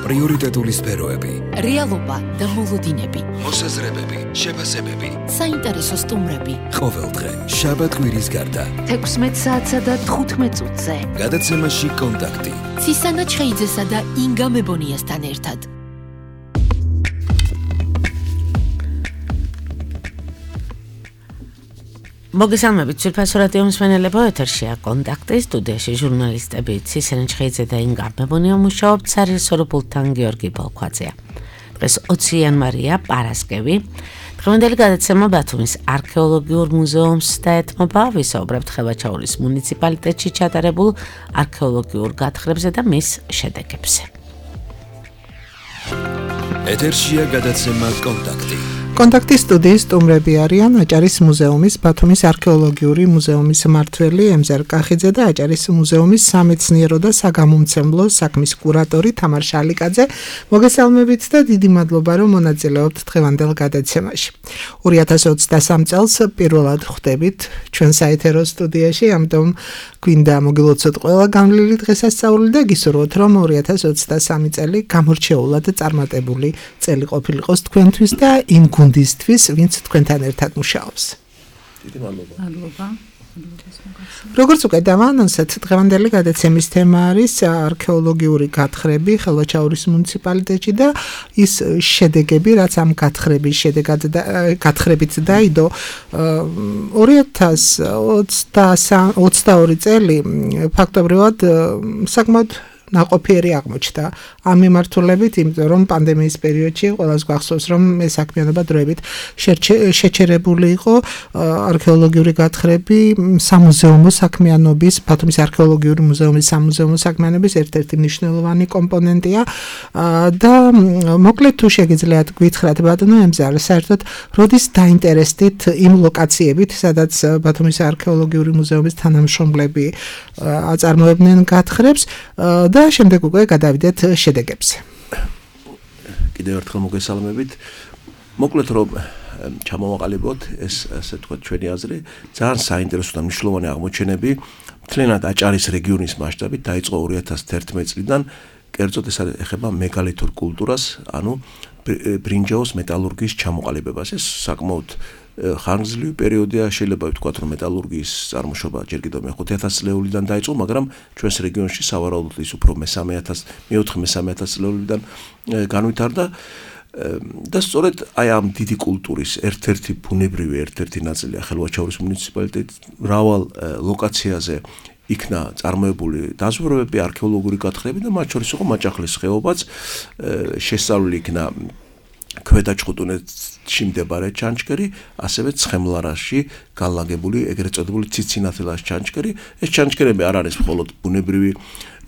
პრიორიტეტული სფეროები, რეალობა და მოლოდინები, მოსაზრებები, შეფასებები, საინტერესო სტუმრები. ყოველდღე შაბათ-კვირის გარდა 16 საათსა და 15 წუთზე. გადაცემაში კონტაქტი. ცისანა ჩხეიძესა და ინგა მებონიასთან ერთად. მოგესალმებით, ძვირფასო რადიო მსმენელებო, ეთერშია კონტაქტი, სტუდიაში ჟურნალისტები ცისანა ჩხეიძე და ინგა მებონია მუშაობთ სარესორბულთან გიორგი ბოლქვაძეა. დღეს 20 იანვარია, პარასკევი. დღევანდელი გადაცემა ბათუმის არქეოლოგიურ მუზეუმს დაეთმობა, ვისაუბრებთ ხევაჩაურის მუნიციპალიტეტში ჩატარებულ არქეოლოგიურ გათხრებზე და მის შედეგებზე. ეთერშია გადაცემა კონტაქტი. კონტაქტის სტუდიის სტუმრები არიან აჭარის მუზეუმის ბათუმის არქეოლოგიური მუზეუმის მმართველი ემზარ კახიძე და აჭარის მუზეუმის სამეცნიერო და საგამომცემლო საქმის კურატორი თამარ შალიკაძე. მოგესალმებით და დიდი მადლობა, რომ მონაწილეობთ დღევანდელ გადაცემაში. 2023 წელს პირველად ხვდებით ჩვენ საეთერო სტუდიაში, ამიტომ გვინდა მოგილოცოთ ყველა გამლილი დღესასწაული და გისურვოთ, რომ 2023 წელი გამორჩეულად წარმატებული წელი ყოფილიყოს თქვენთვის და იმ გუნდისთვის, ვინც თქვენთან ერთად მუშაობს. დიდი მადლობა. როგორც უკვე დავაანონსეთ, დღევანდელი გადაცემის თემა არის არქეოლოგიური გათხრები ხელვაჩაურის მუნიციპალიტეტში და ის შედეგები, რაც ამ გათხრებით დაიდო 2022 წელი ფაქტობრივად საკმაოდ ნაყოფიერი აღმოჩნდა ამ მიმართულებით, იმიტომ რომ პანდემიის პერიოდში ყველას გვახსოვს, რომ ეს საქმიანობა დროებით შეჩერებული იყო. არქეოლოგიური გათხრები სამუზეუმო საქმიანობის, ბათუმის არქეოლოგიური მუზეუმის სამუზეუმო საქმიანობის ერთ-ერთი მნიშვნელოვანი კომპონენტია და მოკლედ თუ შეგიძლიათ გითხრათ ბატონო ემზარ, საერთოდ როდის დაინტერესდით იმ ლოკაციებით, სადაც ბათუმის არქეოლოგიური მუზეუმის თანამშრომლები აწარმოებდნენ გათხრებს და შემდეგ უკვე გადავიდეთ შედეგებზე. კიდევ ერთხელ მოგესალმებით. მოკლედ რომ ჩამოვაყალიბოთ ეს ასე ვთქვათ ჩვენი აზრი, ძალიან საინტერესო და მნიშვნელოვანი აღმოჩენები მთლიანად აჭარის რეგიონის მასშტაბით დაიწყო 2011 წლიდან, კერძოდ ეს ეხება მეგალითურ კულტურას, ანუ ბრინჯაოს მეტალურგიის ჩამოყალიბებას. ეს საკმაოდ ხანგრძლივი პერიოდია, შეიძლება ვთქვათ, რომ მეტალურგიის წარმოშობა ჯერ კიდევ მე-5000 წლეულიდან დაიწყო, მაგრამ ჩვენს რეგიონში სავარაუდოდ ის უფრო მე-4-3 წლეულიდან განვითარდა და სწორედ აი ამ დიდი კულტურის ერთ-ერთი ბუნებრივი ერთ-ერთი ნაწილია ხელვაჩაურის მუნიციპალიტეტი. მრავალ ლოკაციაზე იქნა წარმოებული დაზვერვები, არქეოლოგიური გათხრები და მათ შორის იყო მაჭახლის ხეობაც, შესწავლილი იქნა ქვედაჭყუტუნეთში მდებარე ჩანჩქერი, ასევე ცხემლარაში განლაგებული ეგრეთ წოდებული ციცინათელას ჩანჩქერი. ეს ჩანჩქერები არ არის მხოლოდ ბუნებრივი,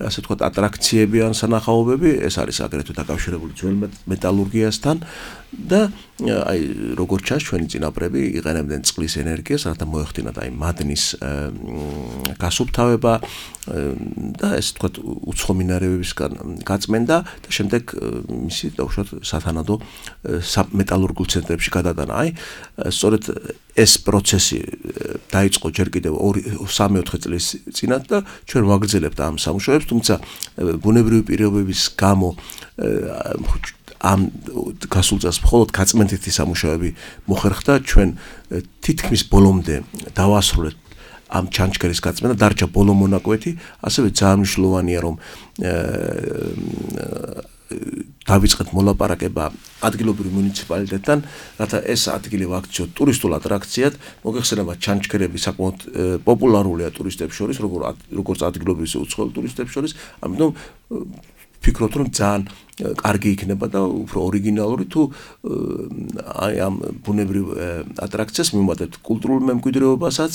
ასე ვთქვათ, ატრაქციები ან სანახაობები, ეს არის აგრეთვე დაკავშირებული ძველ მეტალურგიასთან და აი როგორც ჩანს ჩვენი წინაპრები იყენებდნენ წყლის ენერგიას, რათა მოეხდინათ აი მადნის გასუფთავება და ესე ვთქვათ უცხო მინარევებისგან გაწმენდა და შემდეგ მისი დაუშვათ სათანადო მეტალურგიულ ცენტრებში გადატანა. აი სწორედ ეს პროცესი დაიწყო ჯერ კიდევ 3-4 წლის წინათ და ჩვენ ვაგრძელებთ ამ სამუშაოებს, თუმცა ბუნებრივი პირობების გამო ამ გასულ წელს მხოლოდ გაწმენდითი სამუშაოები მოხერხდა, ჩვენ თითქმის ბოლომდე დავასრულეთ ამ ჩანჩქერის გაწმენდა, დარჩა ბოლო მონაკვეთი, ასევე ძალიან მნიშვნელოვანია, რომ დავიწყეთ მოლაპარაკება ადგილობრივ მუნიციპალიტეტთან, რათა ეს ადგილი ვაქციოთ ტურისტულ ატრაქციად. მოგეხსენება ჩანჩქერები საკმაოდ პოპულარულია ტურისტებს შორის, როგორც ადგილობრივ უცხოელ ტურისტებს შორის, ამიტომ ვფიქრობთ, რომ ძალიან კარგი იქნება და უფრო ორიგინალური თუ აი ამ ბუნებრივ ატრაქციას მივუმატებთ კულტურულ მემკვიდრეობასაც.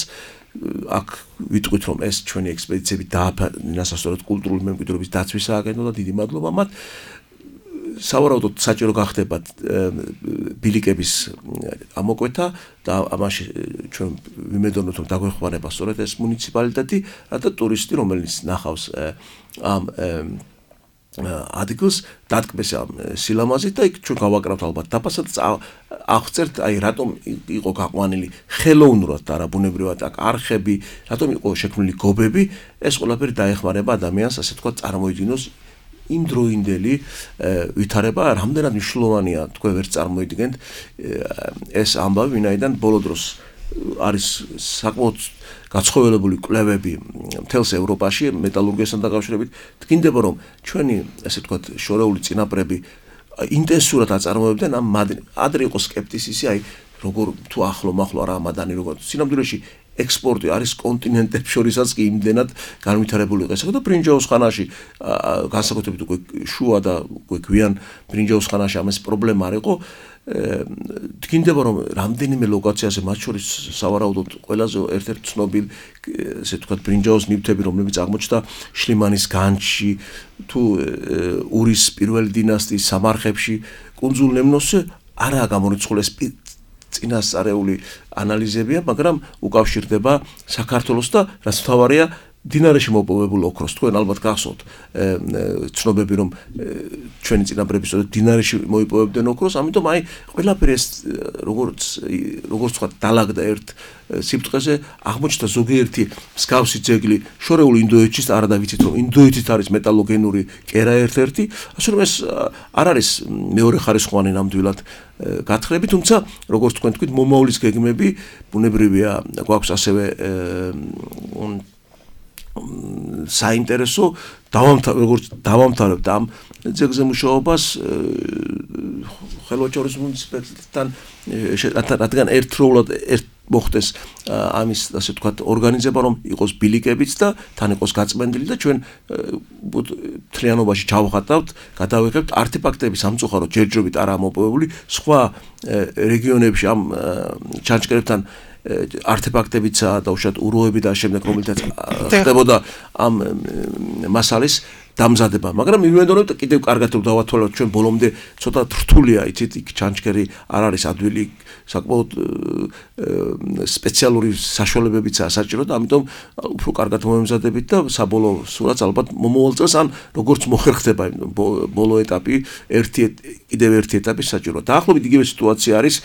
აქ ვიტყვით, რომ ეს ჩვენი ექსპედიციები დააფინანსა კულტურული მემკვიდრეობის დაცვის სააგენტო და დიდი მადლობა მათ. სავარაუდოდ საჭირო გახდებათ ბილიკების ამოკვეთა და ამაში ჩვენ ვიმედოვნებთ, რომ დაგვეხმარება სწორედ ეს მუნიციპალიტეტი, რათა ტურისტი, რომელიც ნახავს ამ ადგილს დატკბეს ამ სილამაზით და იქ ჩვენ გავაკრავთ ალბათ დაფასად აღწერთ აი რატომ იყო გაყვანილი ხელოვნურად და არა ბუნებრივად აქ არხები, რატომ იყო შექმნილი გობები, ეს ყველაფერი დაეხმარება ადამიანს ასე თქვა წარმოიდგინოს იმ დროინდელი ვითარება რამდენად მნიშვნელოვანია თქვენ ვერ წარმოიდგენთ ეს ამბავი, ვინაიდან ბოლო დროს არის საკმაოდ გაცხოველებული კვლევები მთელს ევროპაში მეტალურგიასთან დაკავშირებით. თქინდება რომ ჩვენი ასე ვთქვათ შორეული წინაპრები ინტენსიურად აწარმოებდნენ ამ ადრე იყო სკეპტიციზმი, აი როგორ თუ ახლო-მახლო არა მადანი როგორ სინამდვილეში ექსპორტი არის კონტინენტებს შორისაც კი იმდენად განვითარებული იყო. ესა და ბრინჯაოს ხანაში განსაკუთრებით უკვე შუა და უკვე გვიან ბრინჯაოს ხანაში ამას პრობლემა არ იყო. თქინდება რომ რამდენიმე ლოკაციაზე მათ შორის სავარაუდოდ ყველაზე ერთ-ერთი ცნობილი ესე ვთქვათ ბრინჯაოს ნივთები რომლებიც აღმოჩნდა შლიმანის განჯში თუ ურის პირველი დინასტიის სამარხებში კუნძულ ლემნოსზე არაა გამორიცხული ეს წინასწარეული ანალიზებია, მაგრამ უკავშირდება საქართველოს და რაც მთავარია დინარეში მოპოვებულ ოქროს. თქვენ ალბათ გახსოვთ ცნობები რომ ჩვენი წინაპრები სწორედ დინარეში მოიპოვებდნენ ოქროს, ამიტომ აი ყველაფერი ეს როგორც ვთქვათ დალაგდა ერთ სიფტყეზე აღმოჩნდა ზოგიერთი მსგავსი ძეგლი შორეულ ინდოეთში, არა და ვიცით რომ ინდოეთით არის მეტალოგენური კერა ერთ-ერთი, ასე რომ ეს არ არის მეორე ხარისხოვანი ნამდვილად გათხრები, თუმცა როგორც თქვენ თქვით მომავლის გეგმები ბუნებრივია გვაქვს ასევე საინტერესო როგორც დავამთავრებთ ამ ძეგლზე მუშაობას ხელვაჩაურის მუნიციპალიტეტთან რადგან ერთდროულად მოხდეს ამის ასე ვთქვათ ორგანიზება რომ იყოს ბილიკებიც და თან იყოს გაწმენდილი და ჩვენ თლიანობაში ჩავხატავთ, გადავიღებთ არტეფაქტები სამწუხაროდ ჯერჯერობით არ ამოპოვებული სხვა რეგიონებში ამ ჩანჩკერებთან არტეფაქტებიცაა და უშუალოდ უროები და შემდეგ რომელთაც ხდებოდა ამ მასალის დამზადება, მაგრამ მივიდოდეთ კიდევ კარგად რომ დავათვალოთ ჩვენ ბოლომდე ცოტა რთულია, იცით, იქ ჩანჩკერი არ არის ადვილი, საკმაოდ სპეციალური საშუალებებიცაა საჭირო და ამიტომ უფრო კარგად მომემზადებით და საბოლოო სურათს ალბათ მომავალ წელს ან როგორც მოხერხდება ბოლო ეტაპი, კიდევ ერთი ეტაპი საჭირო. დაახლოებით იგივე სიტუაცია არის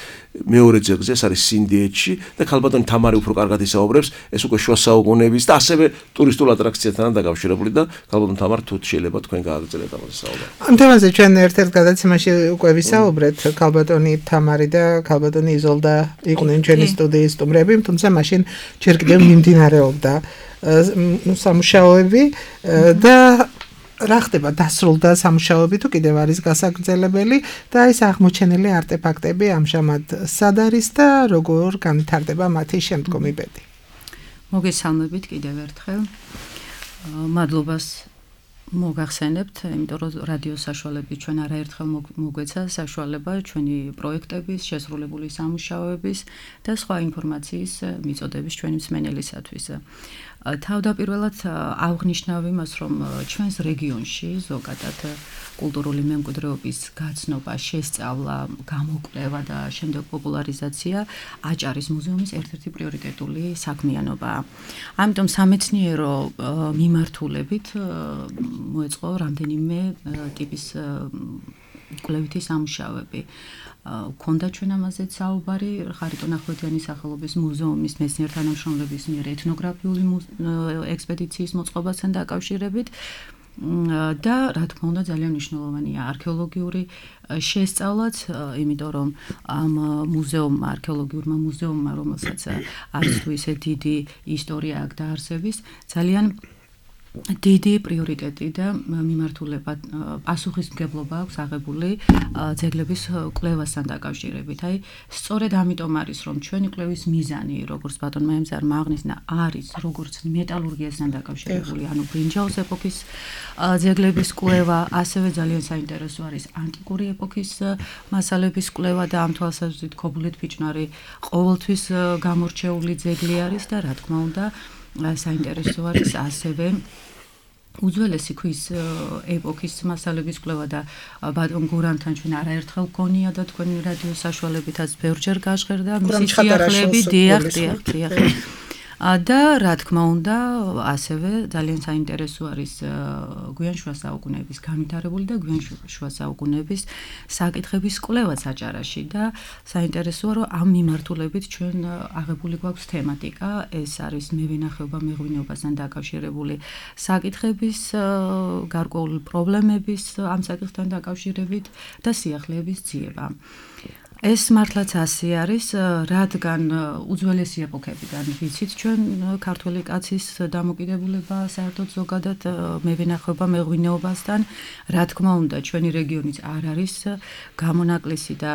მეორე ძეგლზე, ეს არის სინდიეთში და ქალბატონი თამარი უფრო კარგად ისაუბრებს, ეს უკვე შუა საუკუნეების და ასევე ტურისტულ ატრაქციასთან დაკავშირებული და ქალბატონ თამარ თუ შეიძლება თქვენ გააგრძელოთ ამაზე საუბარი. ამ თემაზე ჩვენ ერთ-ერთ გადაცემაში უკვე ვისაუბრეთ, ქალბატონი თამარი და ქალბატონი იზოლდა იყვნენ ჩვენი სტუდიის სტუმრები, თუმცა მაშინ ჯერ კიდევ მიმდინარეობდა სამუშაოები და რა ხდება დასრულდა სამუშაოები თუ კიდევ არის გასაგრძელებელი და ეს აღმოჩენილი არტეფაქტები ამჟამად სად არის და როგორ განვითარდება მათი შემდგომი ბედი. მოგესალმებით კიდევ ერთხელ. მადლობას მოგახსენებთ, იმიტომ რომ რადიო საშუალებით ჩვენ არაერთხელ მოგვეცა საშუალება ჩვენი პროექტების, შესრულებული სამუშაოების და სხვა ინფორმაციის მიწოდების ჩვენი მსმენელისათვის. თავდაპირველად აღნიშნავ იმას, რომ ჩვენს რეგიონში ზოგადად კულტურული მემკვიდრეობის გაცნობა, შესწავლა, გამოკვლევა და შემდეგ პოპულარიზაცია აჭარის მუზეუმის ერთ-ერთი პრიორიტეტული საქმიანობაა. ამიტომ სამეცნიერო მიმართულებით მოეწყო რამდენიმე ტიპის კვლევითი სამუშაოები. Ქონდა ჩვენ ამაზეც საუბარი ხარიტონ ახვლედიანის სახელობის მუზეუმის მეცნიერ-თანამშრომლების მიერ ეთნოგრაფიული ექსპედიციის მოწყობასთან დაკავშირებით და რა თქმა უნდა ძალიან მნიშვნელოვანია არქეოლოგიური შესწავლაც, იმიტომ რომ ამ მუზეუმმა, არქეოლოგიურმა მუზეუმმა, რომელსაც არის თუ ისე დიდი ისტორია აქვს დაარსების, ძალიან დიდი პრიორიტეტი და მიმართულება პასუხისმგებლობა აქვს აღებული ძეგლების კვლევასთან დაკავშირებით. აი, სწორედ ამიტომ არის, რომ ჩვენი კვლევის მიზანი, როგორც ბატონმა ემზარმა აღნიშნა, არის როგორც მეტალურგიასთან დაკავშირებული, ანუ ბრინჯაოს ეპოქის ძეგლების კვლევა, ასევე ძალიან საინტერესო არის ანტიკური ეპოქის მასალების კვლევა და ამ თვალსაზრისით ქობულეთ ფიჭვნარი ყოველთვის გამორჩეული ძეგლი არის და რა თქმა უნდა საინტერესო არის ასევე უძველესი ქვის ეპოქის მასალების კვლევა და ბატონ გურამთან ჩვენ არაერთხელ გქონია და თქვენი რადიო საშუალებითაც ბევრჯერ გაჟღერდა მისი სიახლეები, დიახ. და რა თქმა უნდა, ასევე ძალიან საინტერესო არის გვიან შუა საუკუნეების განვითარებული და გვიან შუა საუკუნეების საკითხების კვლევა საჭარაში და საინტერესოა, რომ ამ მიმართულებით ჩვენ აღებული გვაქვს თემატიკა, ეს არის მევენახეობა, მეღვინეობასთან დაკავშირებული საკითხების, გარკვეული პრობლემების ამ საკითხთან დაკავშირებით და სიახლეების ძიება. ეს მართლაც ასე არის, რადგან უძველესი ეპოქებიდან ვიცით ჩვენ ქართველი კაცის დამოკიდებულება საერთოდ ზოგადად მევენახეობა, მეღვინეობასთან, რა თქმა უნდა, ჩვენი რეგიონიც არ არის გამონაკლისი და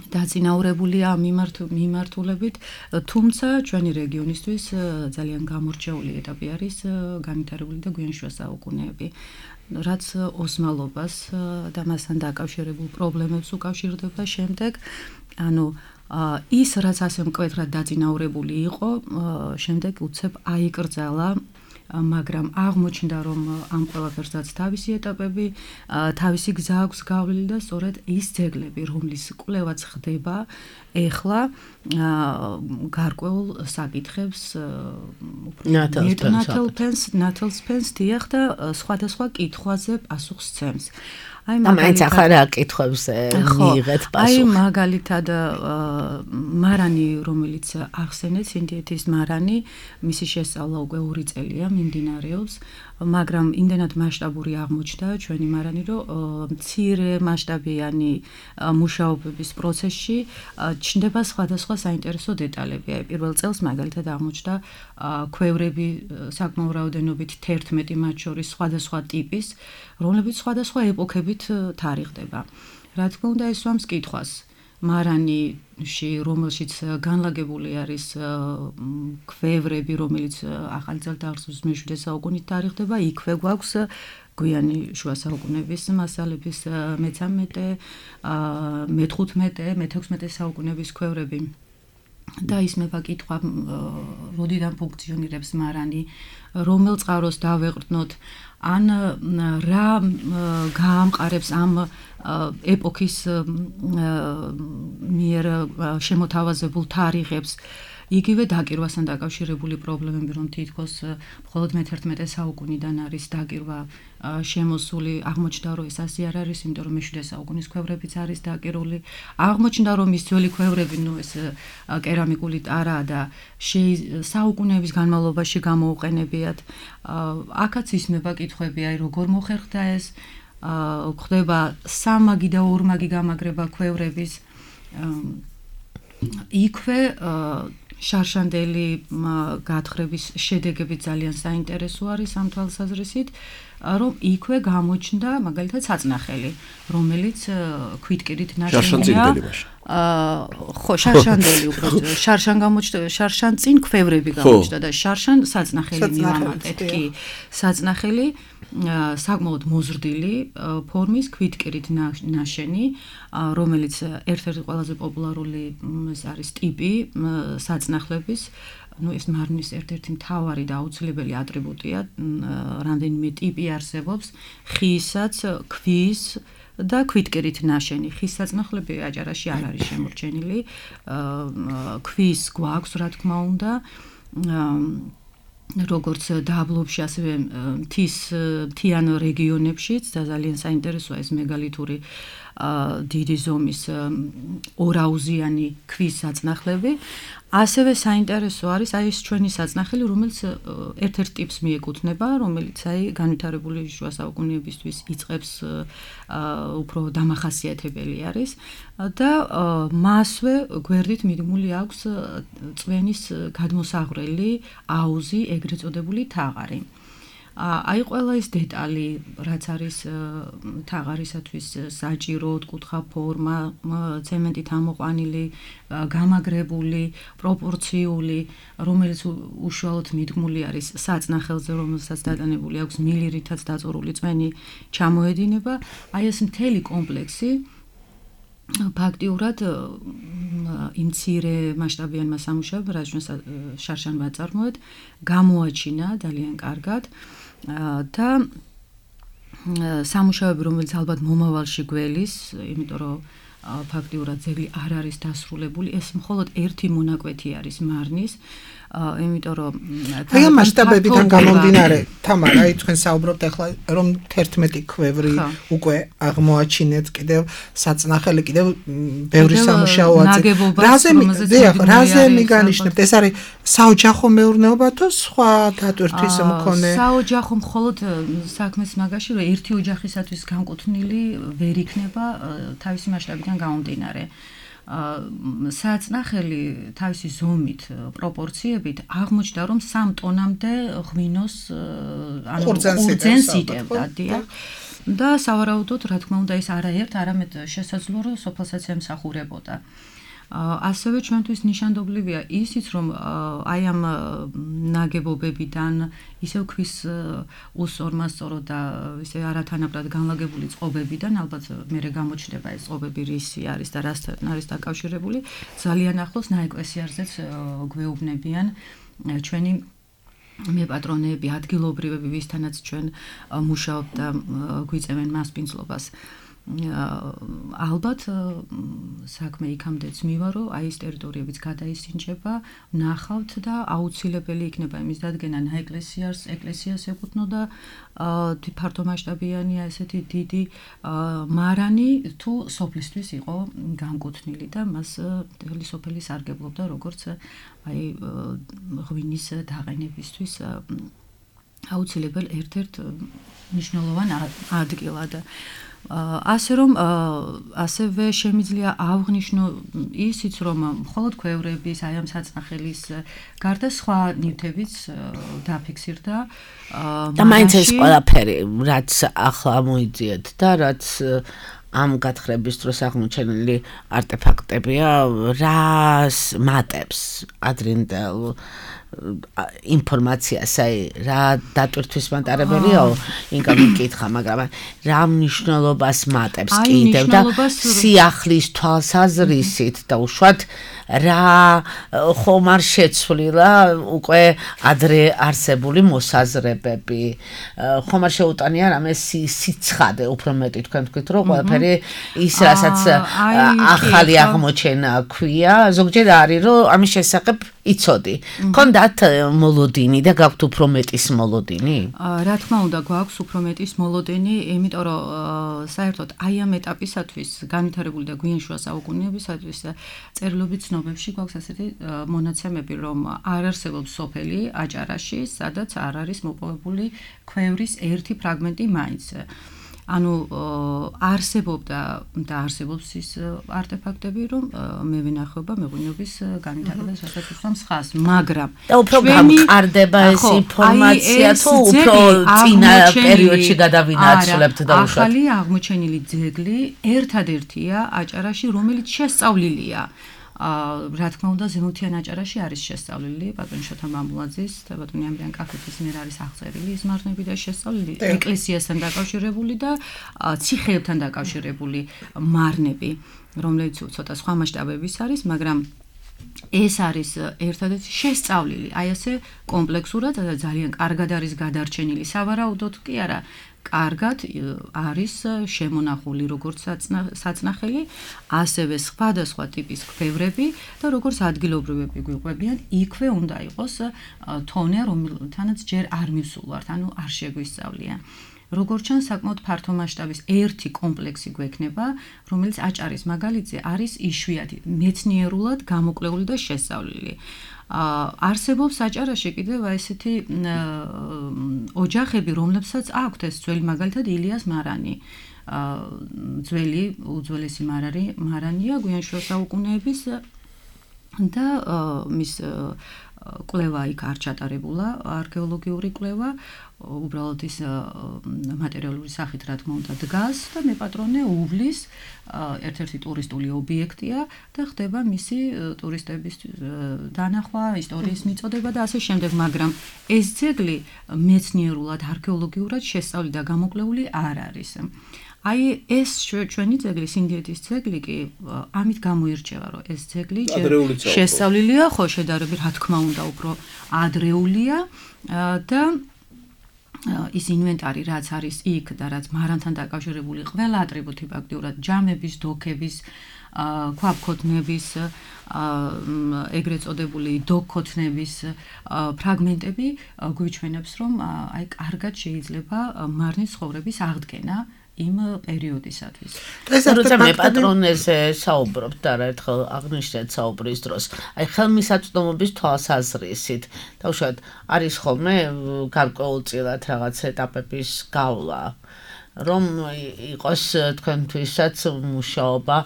დაწინაურებულია ამ მიმართულებით, თუმცა ჩვენი რეგიონისთვის ძალიან გამორჩეული ეტაპი არის განვითარებული და გვიან შუა საუკუნეები. რაც ოსმალობას და მასთან დაკავშირებულ პრობლემებს უკავშირდება შემდეგ, ანუ ის რაც ასე მკვეთრად დაწინაურებული იყო, შემდეგ უცებ აიკრძალა, მაგრამ აღმოჩნდა, რომ ამ ყველაფერსაც თავისი ეტაპები, თავისი გზა აქვს გავლილი და სწორედ ის ძეგლები, რომლის კვლევაც ხდება ეხლა გარკვეულ საკითხებს ნათელსფენს დიახ და სხვადასხვა კითხვაზე პასუხს სცემს. მაინც ახლა რა კითხვებს მიიღეთ პასუხი? აი მაგალითად მარანი, რომელიც ახსენეთ, ინდიეთის მარანი, მისი შესწავლა უკვე 2 წელია მიმდინარეობს, მაგრამ იმდენად მასშტაბური აღმოჩნდა ჩვენი მარანი, რომ მცირე მასშტაბიანი მუშაობების პროცესში ჩნდება სხვადასხვა საინტერესო დეტალები. აი პირველ წელს მაგალითად აღმოჩნდა ქვევრები საკმაო რაოდენობით 11 მათ შორის სხვადასხვა ტიპის, რომლებიც სხვადასხვა ეპოქებით თარიღდება. რა თქმა უნდა, ეს სვამს კითხვას. მარანიში, რომელშიც განლაგებული არის ქვევრები, რომელიც ახალი წელთაღრიცხვის მე-7 საუკუნით თარიღდება, იქვე გვაქვს გვიანი შუა საუკუნეების მასალების მე-13, მე-15, მე-16 საუკუნეების ქვევრები. და ისმება კითხვა, როდიდან ფუნქციონირებს მარანი, რომელ წყაროს დავეყრდნოთ, ან რა გაამყარებს ამ ეპოქის მიერ შემოთავაზებულ თარიღებს. იგივე დაკირვასთან დაკავშირებული პრობლემები, რომ თითქოს მხოლოდ მე-11 საუკუნიდან არის დაკირვა შემოსული, აღმოჩნდა, რომ ეს ასე არ არის, იმიტომ რომ მე-7 საუკუნის ქვევრებიც არის დაკირული. აღმოჩნდა, რომ ის ძველი ქვევრები, ეს კერამიკული ტარაა და საუკუნეების განმავლობაში გამოუყენებიათ. აქაც ისმება კითხვები, აი როგორ მოხერხდა ეს, ხდება სამაგი და ორმაგი გამაგრება ქვევრების. იქვე შარშანდელი გათხრების შედეგები ძალიან საინტერესო არის ამ თვალსაზრისით, რომ იქვე გამოჩნდა მაგალითად საწნახელი, რომელიც ქვითკირით ნაშენია. ხო, შარშანდელი უბრალოდ შარშან გამოჩნდა, შარშან წინ ქვევრები გამოჩნდა და შარშან საწნახელი მივამატეთ კი. საწნახელი საკმაოდ მოზრდილი ფორმის ქვითკირით ნაშენი, რომელიც ერთ-ერთი ყველაზე პოპულარული არის ტიპი საწნახლების, ეს მარნის ერთ-ერთი მთავარი და აუცილებელი ატრიბუტია, რამდენიმე ტიპი არსებობს, ხისაც, ქვის და ქვითკირით ნაშენი. ხის საწნახლები აჭარაში არ არის შემორჩენილი, ქვის გვაქვს, რა თქმა უნდა, როგორც დაბლობში, ასევე მთიან რეგიონებშიც და ძალიან საინტერესოა ეს მეგალითური დიდი ზომის ორაუზიანი ქვის საწნახლები. ასევე საინტერესო არის აი ეს ჩვენი საწნახელი, რომელიც ერთ-ერთ ტიპს მიეკუთვნება, რომელიც აი განვითარებული შუა საუკუნეებისთვის იწყებს უფრო დამახასიათებელი არის და მასვე გვერდით მიდმული აქვს წვენის გადმოსაღვრელი აუზი, ეგრეთ წოდებული თაღარი. აი ყველა ეს დეტალი, რაც არის თაღარისათვის საჭირო, ოთხკუთხა ფორმა, ცემენტით ამოყვანილი, გამაგრებული, პროპორციული, რომელიც უშუალოდ მიდგმული არის საწნახელზე, რომელსაც დატანებული აქვს მილირითაც დაწურული წვენი ჩამოედინება, აი ეს მთელი კომპლექსი ფაქტიურად იმ მცირე მასშტაბიანმა სამუშაოებმა, რაც ჩვენ შარშან ვაწარმოეთ, გამოაჩინა ძალიან კარგად და სამუშაოები, რომელიც ალბათ მომავალში გველის, იმიტომ რომ ფაქტიურად ძეგლი არ არის დასრულებული, ეს მხოლოდ ერთი მონაკვეთი არის მარნის, იმიტომ რომ აი ამ მასშტაბებიდან გამომდინარე, თამარა, აი თქვენ საუბრობთ ახლა რომ 11 ქვევრი უკვე აღმოაჩინეთ, კიდევ საწნახელი, კიდევ ბევრი სამუშაო აწევთ. რაზე მიგანიშნებთ? ეს არის საოჯახო მეურნეობა თუ სხვა დატვირთვის მქონე? საოჯახო მხოლოდ საქმის მაგაში, რომ ერთი ოჯახისათვის განკუთვნილი ვერ იქნება თავისი მასშტაბიდან გამომდინარე. საწნახელი თავისი ზომით, პროპორციებით აღმოჩნდა, რომ 3 ტონამდე ღვინოს ყურძენს იტევდა, დიახ. და სავარაუდოდ, რა თქმა უნდა, ეს არაერთ, არამედ შესაძლოა, რომ სოფელსაც ემსახურებოდა. ასევე ჩვენთვის ნიშანდობლივია ისიც, რომ აი ამ ნაგებობებიდან ისევ ქვის უსორმასწორო და ისე არათანაბრად განლაგებული წყობებიდან, ალბათ მერე გამოჩნდება ეს წყობები რისი არის და რასთან არის დაკავშირებული, ძალიან ახლოს ნაეკლესიარზეც გვეუბნებიან ჩვენი მეპატრონეები, ადგილობრივები, ვისთანაც ჩვენ მუშაობთ და გვიწევენ მასპინძლობას. ალბათ საქმე იქამდეც მივა, რომ აი ეს ტერიტორიებიც გადაისინჯება, ნახავთ და აუცილებელი იქნება იმის დადგენა ეკლესიას ეკუთვნოდა ფართომასშტაბიანია ესეთი დიდი მარანი თუ სოფლისთვის იყო განკუთვნილი და მას მთელი სოფელი სარგებლობდა როგორც აი ღვინის დაყენებისთვის აუცილებელ ერთ-ერთ მნიშვნელოვან ადგილად. ასე რომ ასევე შემიძლია აღვნიშნო ისიც, რომ მხოლოდ ქვევრების, აი ამ საწნახელის გარდა სხვა ნივთებიც დაფიქსირდა. და მაინც ეს ყველაფერი, რაც ახლა მოიძიეთ და რაც ამ გათხრების დროს აღმოჩენილი არტეფაქტებია, რას მატებს ადრინდელ ინფორმაციას, აი რა დატვირთვის მატარებელიაო, ინკა მიკითხა, მაგრამ რა მნიშვნელობას მატებს კიდევ და სიახლის თვალსაზრისით და უშუალოდ რა ხომ არ შეცვლილა უკვე ადრე არსებული მოსაზრებები, ხომ არ შეუტანია რამე სიცხადე, უფრო მეტი თქვენ თქვით, რომ ყველაფერი ის რასაც ახალი აღმოჩენა ქვია, ზოგჯერ არის, რომ ამის შესახებ იცოდი. კონდათ მოლოდინი და გაქვთ უფრო მეტის მოლოდინი? რა თქმა უნდა, გვაქვს უფრო მეტის მოლოდინი, იმიტომ რომ საერთოდ აი ამ ეტაპისათვის განვითარებული და გვიან შუა საუკუნეებისათვის წერილობით ცნობებში გვაქვს ასეთი მონაცემები, რომ არ არსებობს სოფელი აჭარაში, სადაც არ არის მოპოვებული ქვევრის ერთი ფრაგმენტი მაინც. ანუ არსებობდა და არსებობს ის არტეფაქტები, რომ მე ვინახება მეღვინეობის განვითარებას შესაძლოა ხას, მაგრამ და უფრო გამყარდება ეს ინფორმაცია თუ უფრო წინა პერიოდში გადავინაცვლებთ და უშუალოდ ახალი აღმოჩენილი ძეგლი ერთადერთია აჭარაში, რომელიც შესწავლილია. რა თქმა უნდა, ზემოთიან აჭარაში არის შესწავლილი ბატონ შოთა მამულაძის და ბატონი ამრიან კახეთის მიერ არის აღწერილი ის მარნები და შესწავლილი ეკლესიასთან დაკავშირებული და ციხეებთან დაკავშირებული მარნები, რომელიც ცოტა სხვა მასშტაბების არის, მაგრამ ეს არის ერთადერთი შესწავლილი, აი ასე კომპლექსურად და ძალიან კარგად არის გადარჩენილი. სავარაუდოდ კი არა, კარგად არის შემონახული როგორც საწნახელი, ასევე სხვადასხვა ტიპის ქვევრები და როგორც ადგილობრივები გვიყვებიან, იქვე უნდა იყოს თონე, რომელთანაც ჯერ არ მივსულვართ, ანუ არ შეგვისწავლია. როგორც ჩანს, საკმაოდ ფართო მასშტაბის ერთი კომპლექსი გვექნება, რომელიც აჭარის მაგალითზე არის იშვიათი, მეცნიერულად გამოკვლეული და შესწავლილი. არსებობს აჭარაში კიდევ ესეთი ოჯახები, რომლებსაც აქვთ ეს ძველი მაგალითად ილიას მარანი. ძველი უძველესი მარანია გვიან შუა საუკუნეების და მის კვლევა იქ არ ჩატარებულა, არქეოლოგიური კვლევა, უბრალოდ ის მატერიალური სახით რა თქმა უნდა დგას და მეპატრონე უვლის ერთ-ერთი ტურისტული ობიექტია და ხდება მისი ტურისტების დანახვა, ისტორიის მიწოდება და ასე შემდეგ, მაგრამ ეს ძეგლი მეცნიერულად, არქეოლოგიურად შესწავლილი და გამოკვლეული არ არის. აი ეს ჩვენი ძეგლი, სინდიეთის ძეგლი კი ამით გამოირჩევა, რომ ეს ძეგლი შესწავლილია, ხო, შედარებით რა თქმა უნდა უფრო ადრეულია და ის ინვენტარი რაც არის იქ და რაც მარანთან დაკავშირებული ყველა ატრიბუტი ფაქტიურად ჯამების, დოქების, ქვაბქოთნების, ეგრეთ წოდებული დოქქოთნების ფრაგმენტები გვიჩვენებს, რომ აი კარგად შეიძლება მარნის ცხოვრების აღდგენა იმ პერიოდისათვის. როცა მე პატრონეზე საუბრობ და ერთხელ აღნიშნეთ საუბრის დროს, აი ხელმისაწვდომობის თვალსაზრისით, თავშად არის ხოლმე გარკვეულწილად რაღაც ეტაპების გავლა, რომ იყოს თქვენთვისაც მუშაობა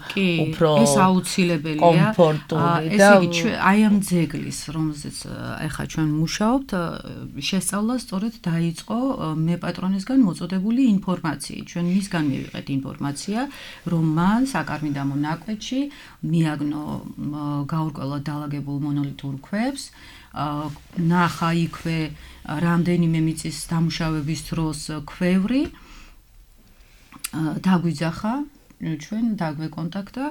უფრო ეს აუცილებელია. კომფორტული და ესე იგი აი ამ ძეგლის, რომელზეც ახლა ჩვენ მუშაობთ, შესწავლა სწორედ დაიწყო მე პატრონისგან მოწოდებული ინფორმაციით. ჩვენ მისგან მივიღეთ ინფორმაცია, რომ მან საკარმიდამო ნაკვეთში მიაგნო გაურკვევლად დალაგებულ მონოლითურ ქვებს, ნახა იქვე რამდენიმე მიწის დამუშავების დროს ქვევრი, დაგვიძახა, ჩვენ დაგვეკონტაქტა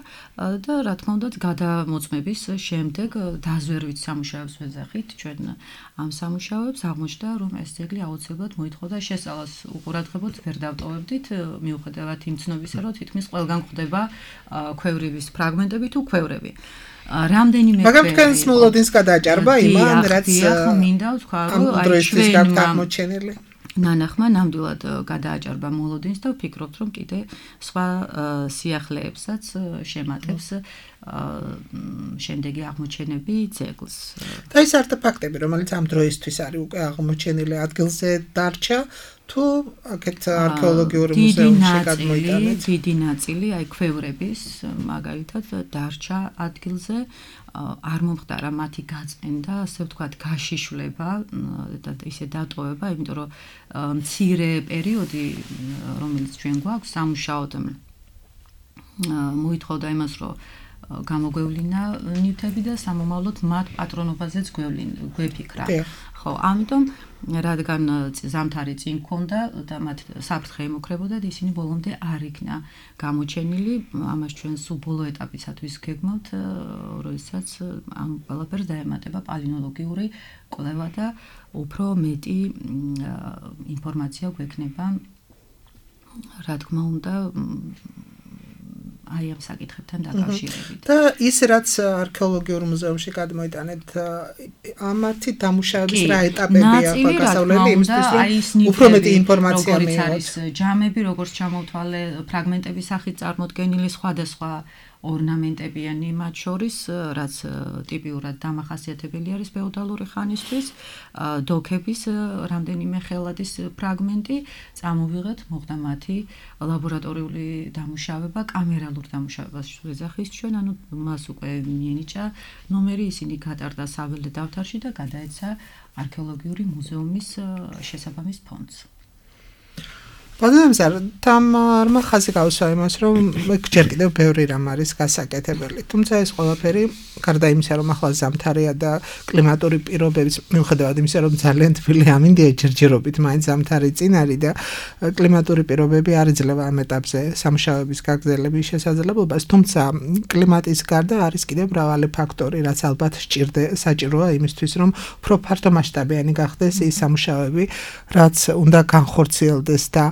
და რა თქმა უნდა გადამოწმების შემდეგ დაზვერვით სამუშაოებს ვეძახით ჩვენ ამ სამუშაოებს აღმოჩნდა რომ ეს ძეგლი აუცილებლად მოითხოვდა შესწავლას უყურადღებოდ ვერ დავტოვებდით მიუხედავად იმ ცნობისა რომ თითქმის ყველგან გვხვდება ქვევრივის ფრაგმენტები თუ ქვევრები რამდენიმე მაგრამ თქვენს მოლოდინს გადააჭარბა იმან რაც მინდა ვთქვა რომ აი ჩვენ აღმოჩენილი ნანახმა ნამდვილად გადააჭარბა მოლოდინს და ვფიქრობთ რომ კიდე სხვა სიახლეებსაც შემატებს შემდეგი აღმოჩენები ძეგლს. და ის არტეფაქტები რომელიც ამ დროისთვის არის უკვე აღმოჩენილი ადგილზე დარჩა თუ აქეთ არქეოლოგიური მუზეუმში გადმოიტანეთ? დიდი ნაწილი აი ქვევრების მაგალითად დარჩა ადგილზე არ მომხდარა მათი გაწმენდა, ასე ვთქვათ, გაშიშვლება და ისე დატოვება, იმიტომ რომ მცირე პერიოდი, რომელიც ჩვენ გვაქვს სამუშაოდ მოითხოვდა იმას, რომ გამოგვევლინა ნივთები და სამომავლოდ მათ პატრონობაზეც გვეფიქრა. ხო, ამიტომ რადგან ზამთარი წინ მქონდა და მათ საფრთხე ემუქრებოდა და ისინი ბოლომდე არ იქნა გამოჩენილი, ამას ჩვენ სულ ბოლო ეტაპისათვის გეგმავთ, როდესაც ამ ყველაფერს დაემატება პალეონტოლოგიური კვლევა და უფრო მეტი ინფორმაცია გვექნება, რა თქმა უნდა, აი ამ საკითხებთან დაკავშირებით. და ის რაც არქეოლოგიურ მუზეუმში გადმოიტანეთ, ამათი დამუშავების რა ეტაპებია გასავლელი იმისთვის, რომ უფრო მეტი ინფორმაცია მიიღოთ. არის ჯამები, როგორც ჩამოვთვალე, ფრაგმენტების სახით წარმოდგენილი სხვადასხვა ორნამენტებიანი მათ შორის, რაც ტიპიურად დამახასიათებელი არის ფეოდალური ხანისთვის, დოქების რამდენიმე ხელადის ფრაგმენტი, წამოვიღეთ, მოხდა მათი ლაბორატორიული დამუშავება, კამერალურ დამუშავებას ვეძახის ჩვენ, ანუ მას უკვე მიენიჭა ნომერი, ისინი გატარდა საველე დავთარში და გადაეცა არქეოლოგიური მუზეუმის შესაბამის ფონდს. ბოდემსარ თამარმა ხაზი გავუსვა იმას, რომ ჯერ კიდევ ბევრი რამ არის გასაკეთებელი. თუმცა ეს ყველაფერი გარდა იმისა, რომ ახლა ზამთარია და კლიმატური პირობების მიუხედავად იმისა, რომ ძალიან თბილი ამინდია ჯერჯერობით, მაინც ზამთარი წინ არის და კლიმატური პირობები არ იძლევა ამ ეტაპზე სამუშაოების გაგრძელების შესაძლებლობას. თუმცა კლიმატის გარდა არის კიდევ მრავალი ფაქტორი, რაც ალბათ საჭიროა იმისთვის, რომ უფრო ფართომასშტაბიანი გახდეს ის სამუშაოები, რაც უნდა განხორციელდეს და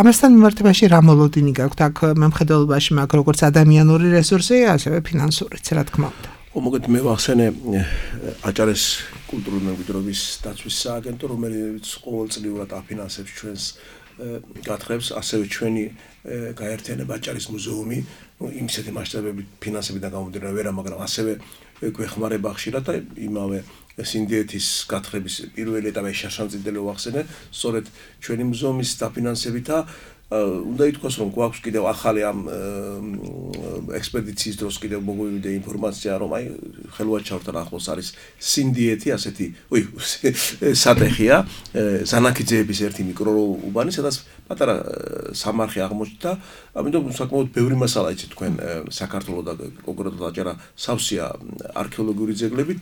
ამასთან მიმართებაში რა მოლოდინი გაქვთ აქ მემხედველობაში მაგ როგორც ადამიანური რესურსი, ასევე ფინანსურიც, რა თქმა უნდა. მოგეთ მე ვახსენე აჭარის კულტურული მემკვიდრეობის დაცვის სააგენტო, რომელიც ყოველწლიურად აფინანსებს ჩვენს გათხრებს, ასევე ჩვენი გაერთიანება აჭარის მუზეუმი, იმისეთი მასშტაბებით ფინანსებიდან გამომდინარე ვერა, მაგრამ ასევე გვეხმარება ხშირად და იმავე სინდიეთის გათხრების პირველი ეტაპი შაშანწიდელი ვახსენე, სწორედ ჩვენი მუზეუმის დაფინანსებითა უნდა ითქვას, რომ გვაქვს კიდევ ახალი ამ ექსპედიციის დროს კიდევ მოგვივიდა ინფორმაცია, რომ აი ხელვაჩაურთან ახლოს არის სინდიეთი, ასეთი, სატეხია, ზანაქიძეების ერთი მიკროუბანი, სადაც პატარა სამარხი აღმოჩნდა, ამიტომ საკმაოდ ბევრი მასალა იცით თქვენ საქართველოს და კონკრეტულად აჭარა სავსეა არქეოლოგიური ძეგლებით.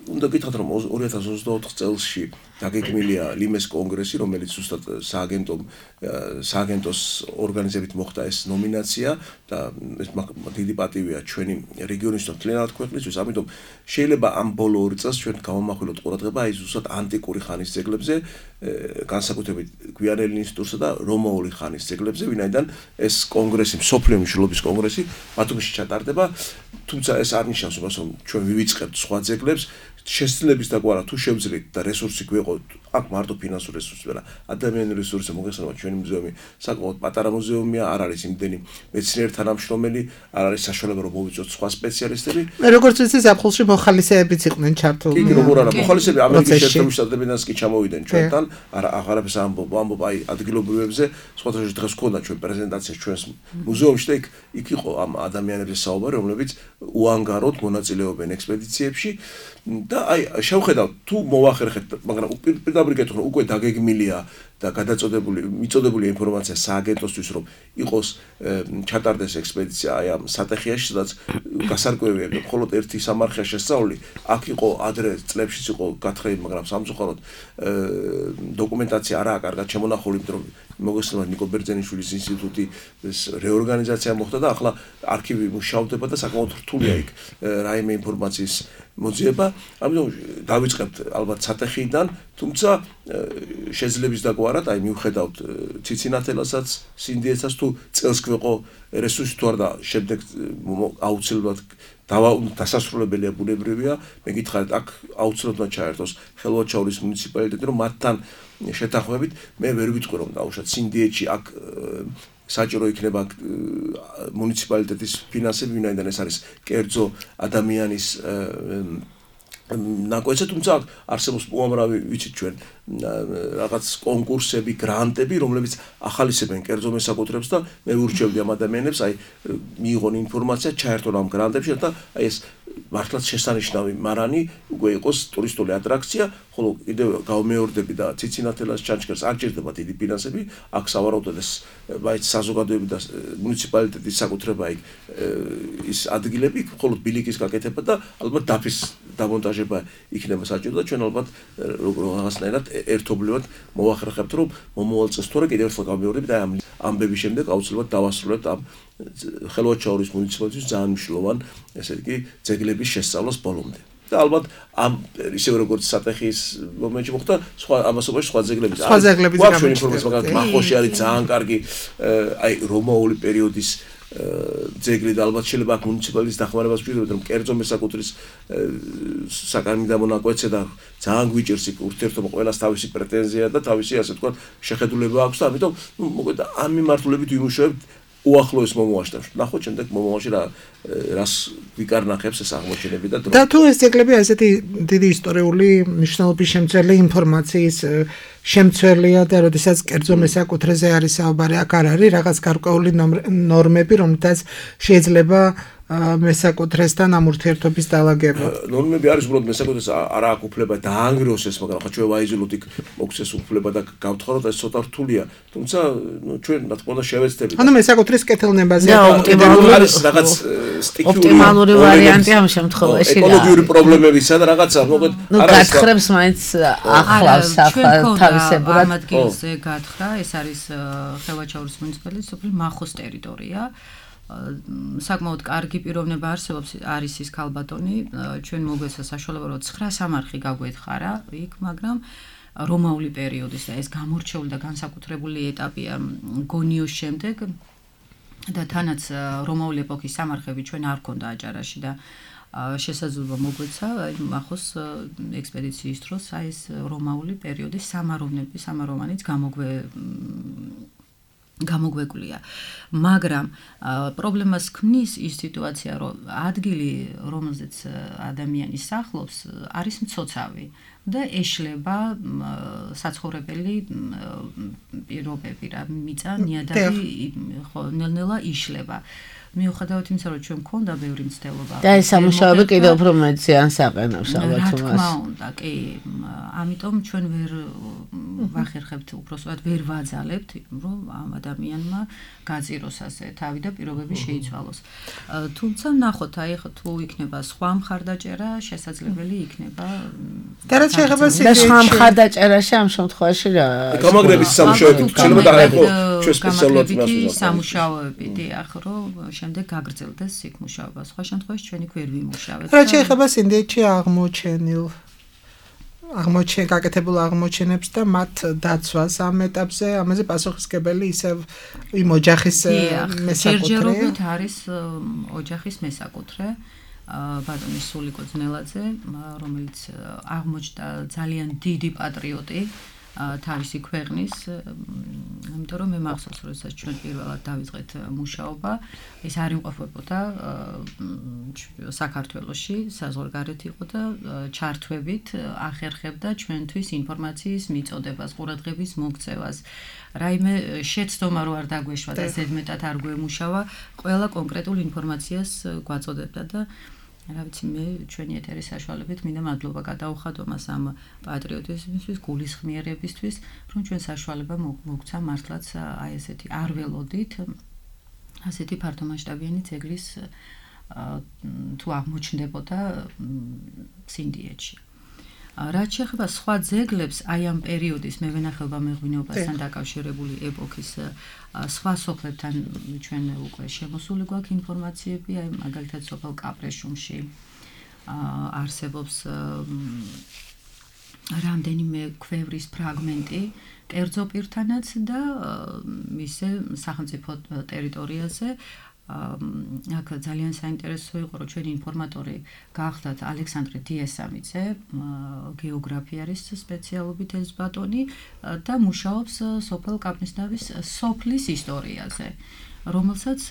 უნდა გითხრათ, რომ 2024 წელსში დაგეგმილია ლიმეს კონგრესი, რომელიც ზუსტად სააგენტომ სააგენტოს ორგანიზებით მოხდა ეს ნომინაცია და ეს დიდი პატივია ჩვენი რეგიონის და მთლიანად ქვეყნისთვის, ამიტომ შეიძლება ამ ბოლო 2 წელს ჩვენ გავამახვილოთ ყურადღება აი ზუსტად ანტიკური ხანის ძეგლებზე, განსაკუთრებით გვიანელი ინსტიტუტსა და რომაული ხანის ძეგლებზე, ვინაიდან ეს კონგრესი, მსოფლიო მნიშვნელობის კონგრესი ბათუმში ჩატარდება, თუმცა ეს არ ნიშნავს, რომ ჩვენ ვივიწყებთ სხვა ძეგლებს, შესწლების დაგვარა თუ შევძლით და რესურსი გვეყოთ, აქ მარტო ფინანსური რესურსი არა, ადამიანური რესურსი მოგეხსენება ჩვენი მუზეუმი საკმაოდ პატარა მუზეუმია, არ არის იმდენი მეცნიერ თანამშრომელი, არ არის საშუალება რომ მოვიწოთ სხვა სპეციალისტები. როგორც ვიცი, ზაფხულში მოხალისეებიც იყვნენ ჩართული. კი, როგორ არა, მოხალისეები ამერიკის შეერთებული შტატებიდანაც კი ჩამოვიდნენ ჩვენთან, აღარაფერს ამბობ აი ადგილობრივებზე, სხვათა შორის დღეს გქონდა ჩვენ პრეზენტაცია ჩვენს მუზეუმში და იქ იყო ამ ადამიანების საუბარი, რომლებიც უანგაროდ მონაწილეობენ ექსპედიციებში და აი შევხედავთ თუ მოვახერხეთ, მაგრამ პირდაპირ გეტყვი უკვე დაგეგმილია და მიწოდებული ინფორმაცია სააგენტოსთვის რომ იყოს ჩატარდეს ექსპედიცია აი ამ სატეხიაში, სადაც გასარკვევია მხოლოდ ერთი სამარხია შესწავლილი, აქ იყო ადრე წლებშიც იყო გათხრები, მაგრამ სამწუხაროდ დოკუმენტაცია არაა კარგად შემონახული, იმიტომ რომ მოგესალმებით ნიკო ბერძენიშვილის ინსტიტუტი ეს რეორგანიზაცია მოხდა და ახლა არქივი მუშაობდება და საკმაოდ რთულია იქ რაიმე ინფორმაციის მოძიება, ამიტომ დავიწყებთ ალბათ სატეხიდან, თუმცა შეძლებს დაგვარად, აი მივხედავთ ციცინათელასაც, სინდიეცას თუ წელს გვეყო რესურსი თუ არ და შემდეგ აუცილებლად დასასრულებელია ბუნებრივია, მე გითხარით აქ აუცილებლად ჩაერთოს ხელვაჩაურის მუნიციპალიტეტი, რომ მათთან შეთანხმებით მე ვერ ვიტყვი რომ დაუშვათ სინდიეთში აქ საჭირო იქნება მუნიციპალიტეტის ფინანსები, ვინაიდან ეს არის კერძო ადამიანის ნაკვეთზე, თუმცა არსებობს უამრავი ვიცით ჩვენ რაღაც კონკურსები, გრანტები, რომლებიც ახალისებენ კერძო მესაკუთრებს და მე ვურჩევდი ამ ადამიანებს, აი მიიღონ ინფორმაცია, ჩაერთონ ამ გრანტებში და აი ეს მართლაც შესანიშნავი მარანი უკვე იყოს ტურისტული ატრაქცია, ხოლო კიდევ გავმეორდები და ციცინათელას ჩანჩქერს არ ჭირდება დიდი ფინანსები, აქ სავარაუდოდ ეს მაინც საზოგადოებრივი და მუნიციპალიტეტის საკუთრება იქ ის ადგილები, ხოლო ბილიკის გაკეთება და ალბათ დაფის დამონტაჟება იქნება საჭირო და ჩვენ ალბათ რაღაცნაირად ერთობლივად მოვახერხებთ, რომ მომავალ წელს თორე კიდევ ერთხელ გავმეორდებით აი ამ ამბების შემდეგ აუცილებლად დავასრულებთ ამ ხელვაჩაურის მუნიციპალიტეტის ძალიან მნიშვნელოვან, ესე იგი, ძეგლების შესწავლას ბოლომდე. და ალბათ ამ ისევ როგორც სატეხის მომენტში მოხდა, სხვა ამასობაში სხვა ძეგლების ინფორმაცია, მაგრამ მახოში არის ძალიან კარგი აი რომაული პერიოდის ძეგლი და ალბათ შეიძლება აქ მუნიციპალიტეტის დახმარებას ვჭირდებათ, რომ კერძო მესაკუთრის საკანონმდებლო ნაკვეთზე და ძალიან გვიჭირს იქ ურთიერთობა, ყველას თავისი პრეტენზია და თავისი ასე ვთქვათ შეხედულება აქვს და ამიტომ მოკლედ ამ მიმართულებით ვიმუშავებთ უახლოეს მომავალში და ნახოთ შემდეგ მომავალში რას ვიკარნახებს ეს აღმოჩენები და თუ ეს ძეგლები ასეთი დიდი ისტორიული მნიშვნელობის შემცველი ინფორმაციის შემცველია და როდესაც კერძო მესაკუთრეზე არის საუბარი, აქ არ არის რაღაც გარკვეული ნორმები, რომელთაც შეიძლება მესაკუთრესთან ამ ურთიერთობის დალაგება. ნორმები არის უბრალოდ მესაკუთრეს არ აქვს უფლება დაანგრიოს ეს, მაგრამ ხა ჩვენ ვაიზილოთ იქ მოგცეს უფლება და გავთხაროთ ეს ცოტა რთულია. თუმცა ჩვენ რა თქმა უნდა შევეცდებით. ანუ მესაკუთრის კეთილნებაზე არის რაღაც ოპტიმალური ვარიანტი ამ შემთხვევაში. ეკოლოგიური პრობლემებისა და რაღაცა მოკლედ არ არის. გათხრებს მაინც ახლავს თავისებურად. ამ ადგილზე გათხრა, ეს არის ხელვაჩაურის მუნიციპალიტეტის სოფლის მახოს ტერიტორია. საკმაოდ კარგი პიროვნება არსებობს, არის ის ქალბატონი, ჩვენ მოგვეცა საშუალება რომ 9 სამარხი გაგვეთხარა იქ, მაგრამ რომაული პერიოდის და ეს გამორჩეული და განსაკუთრებული ეტაპია გონიოს შემდეგ და თანაც რომაული ეპოქის სამარხები ჩვენ არ გქონდა აჭარაში და შესაძლოა მოგვეცა მახოს ექსპედიციის დროს აი ეს რომაული პერიოდის სამაროვანიც გამოგვეკვლია. მაგრამ პრობლემას ქმნის ის სიტუაცია, რომ ადგილი, რომელზეც ადამიანი სახლობს, არის მცოცავი და ეშლება საცხოვრებელი პირობები, რა მიწა, ნიადაგი ნელ-ნელა იშლება. მიუხედავად იმისა, რომ ჩვენ მქონდა ბევრი მცდელობა. და ეს სამუშაოები კიდევ უფრო მეტი ან საყენავს ალბათ რა მას. თქმა უნდა, კი, ამიტომ ჩვენ ვერ ვახერხებთ, უბრალოდ ვერ ვაძალებთ, რომ ამ ადამიანმა გაძიროს ასე თავი და პირობები შეიცვალოს. თუმცა ნახოთ, აი ხო თუ იქნება სხვა მხარდაჭერა, შესაძლებელი იქნება და რაც შეეხება და სხვა მხარდაჭერაში ამ შემთხვევაში რა გამაგრების სამუშაოები შეიძლება დააიღო ჩვენ სპეციალურად სამუშაოები, დიახ, რომ შემდეგ გაგრძელდეს იქ მუშაობა. სხვა შემთხვევაში ჩვენ იქ ვერ ვიმუშავებთ. რაც შეეხება სინდიეთში გაკეთებულ აღმოჩენებს და მათ დაცვას ამ ეტაპზე, ამაზე პასუხისმგებელი ისევ იმ ოჯახის მესაკუთრეა. ჯერჯერობით არის ოჯახის მესაკუთრე. ბატონი სულიკო ძნელაძე, რომელიც აღმოჩნდა ძალიან დიდი პატრიოტი თავისი ქვეყნის, იმიტომ რომ მე მახსოვს, როდესაც ჩვენ პირველად დავიწყეთ მუშაობა, ეს არ იმყოფებოდა საქართველოში, საზღვარგარეთ იყო და ჩართვებით ახერხებდა ჩვენთვის ინფორმაციის მიწოდებას, ყურადღების მოქცევას. რაიმე შეცდომა რო არ დაგვეშვა და ზედმეტად არ გვემუშავა, ყველა კონკრეტულ ინფორმაციას გვაწოდებდა და რა ვიცი მე ჩვენი ეთერის საშუალებით მინდა მადლობა გადაუხადო მას ამ პატრიოტიზმისთვის, გულისხმიერებისთვის, რომ ჩვენ საშუალება მოგცა მართლაც აი ესეთი არ ველოდით ასეთი ფართომასშტაბიანი ძეგლის თუ აღმოჩნდებოდა სინდიეთში. რაც შეეხება სხვა ძეგლებს, აი ამ პერიოდის მევენახეობა მეღვინეობასთან დაკავშირებული ეპოქის სხვა სოფლებთან ჩვენ უკვე შემოსული გვაქვს ინფორმაციები, აი მაგალითად სოფელ კაპრეშუმში არსებობს რამდენიმე ქვევრის ფრაგმენტი კერძო პირთანაც და მისე სახელმწიფო ტერიტორიაზე აქ ძალიან საინტერესო იყო, რომ ჩვენი ინფორმატორი გახდათ ალექსანდრე დიესამიძე, გეოგრაფიარის სპეციალობით ეს ბატონი და მუშაობს სოფელ კაპნისნავის სოფლის ისტორიაზე, რომელსაც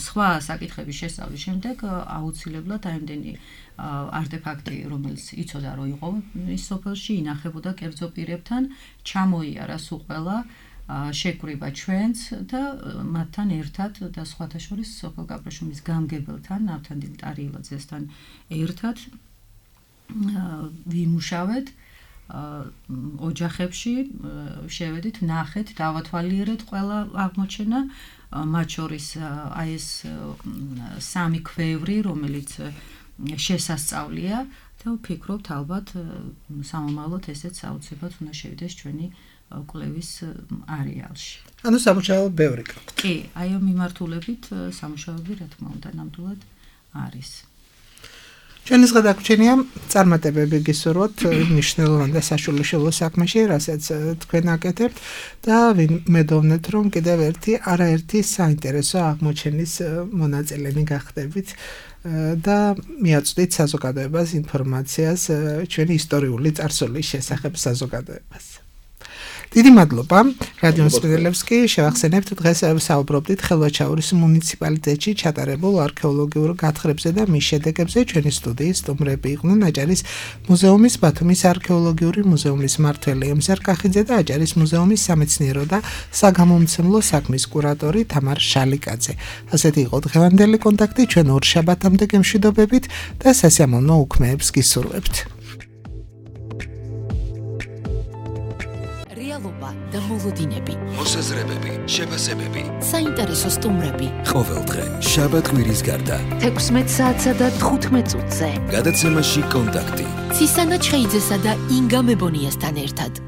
სხვა საკითხების შესწავლის შემდეგ აუცილებლად აიმდენი არტეფაქტი, რომელიც იცოდა რომ იყო ის სოფელში, ინახებოდა კერძო პირებთან, ჩამოიარა სულ შეკვრივა ჩვენც და მათთან ერთად და სხვათა შორის სოფელ კაპრეშუმის გამგებელთან, ნავთანდილ ტარიელაძესთან ერთად ვიმუშავეთ ოჯახებში, შევედით, ნახეთ, დავათვალიერეთ ყველა აღმოჩენა, მათ შორის აი ეს სამი ქვევრი, რომელიც შესასწავლია და ვფიქრობთ ალბათ სამომავლოდ ესეც აუცილებლად უნდა შევიდეს ჩვენი კვლევის არეალში. ანუ სამუშაო ბევრი გაქვთ. კი, აი ამ მიმართულებით სამუშაოები რა თქმა უნდა ნამდვილად არის. ჩვენი გადაგვრჩენია წარმატებები გისურვოთ მნიშვნელოვან და საშუალო საქმეში, რასაც თქვენ აკეთებთ და მედოვნეთ რომ კიდევ არაერთი საინტერესო აღმოჩენის მონაწილენი გახდებით და მიაწვდით საზოგადოებას ინფორმაციას ჩვენი ისტორიული წარსულის შესახებ საზოგადოებას. დიდი მადლობა რადიო მსმენელებს კი შევახსენებთ დღეს საუბრობდით ხელვაჩაურის მუნიციპალიტეტში ჩატარებულ არქეოლოგიურ გათხრებზე და მის შედეგებზე. ჩვენი სტუდიის სტუმრები იყვნენ აჭარის მუზეუმის ბათუმის არქეოლოგიური მუზეუმის მმართველი ემზარ კახიძე და აჭარის მუზეუმის სამეცნიერო და საგამომცემლო საქმის კურატორი თამარ შალიკაძე. ასეთი იყო დღევანდელი კონტაქტი, ჩვენ ორ შაბათამდე გემშვიდობებით და სასიამოვნო უქმეებს გისურვებთ. და მოლოდინები, მოსაზრებები, შეფასებები, საინტერესო სტუმრები. ყოველდღე შაბათ-კვირის გარდა 16 საათსა და 15 წუთზე გადაცემაში კონტაქტი. ცისანა ჩხეიძესა და ინგა მებონიასთან ერთად.